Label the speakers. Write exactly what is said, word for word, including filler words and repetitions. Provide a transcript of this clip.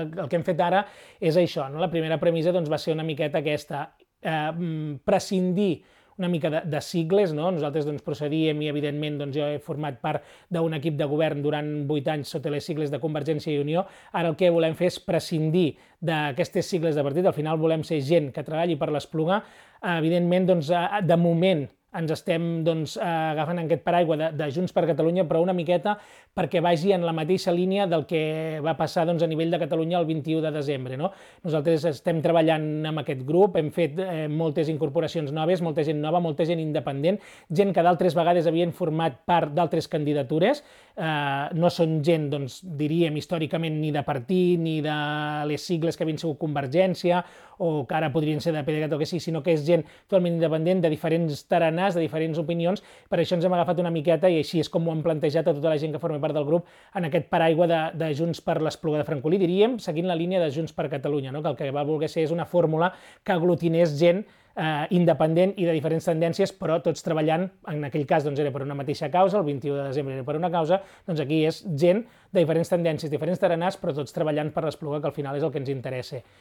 Speaker 1: El que hem fet ara és això, no? La primera premissa doncs, va ser una miqueta aquesta, eh, prescindir una mica de, de sigles, no? Nosaltres doncs, procedíem i, evidentment, doncs, jo he format part d'un equip de govern durant vuit anys sota les sigles de Convergència i Unió. Ara el que volem fer és prescindir d'aquestes sigles de partit. Al final volem ser gent que treballi per l'Espluga. Evidentment, doncs, de moment, ens estem doncs, agafant aquest paraigua de, de Junts per Catalunya, però una miqueta perquè vagi en la mateixa línia del que va passar doncs, a nivell de Catalunya el vint-i-u de desembre. No? Nosaltres estem treballant amb aquest grup, hem fet eh, moltes incorporacions noves, molta gent nova, molta gent independent, gent que d'altres vegades havien format part d'altres candidatures, eh, no són gent, doncs, diríem, històricament ni de partit, ni de les sigles que havien sigut Convergència, o que ara podrien ser de P D E C A T o que sí, sinó que és gent totalment independent, de diferents taranars, de diferents opinions. Per això ens hem agafat una miqueta, i així és com ho hem plantejat a tota la gent que forma part del grup, en aquest paraigua de, de Junts per l'Espluga de Francolí, diríem, seguint la línia de Junts per Catalunya, no? Que el que va voler ser és una fórmula que aglutinés gent eh, independent i de diferents tendències, però tots treballant, en aquell cas doncs, era per una mateixa causa, el vint-i-u de desembre era per una causa, doncs aquí és gent de diferents tendències, diferents taranars, però tots treballant per l'Espluga, que al final és el que ens interessa.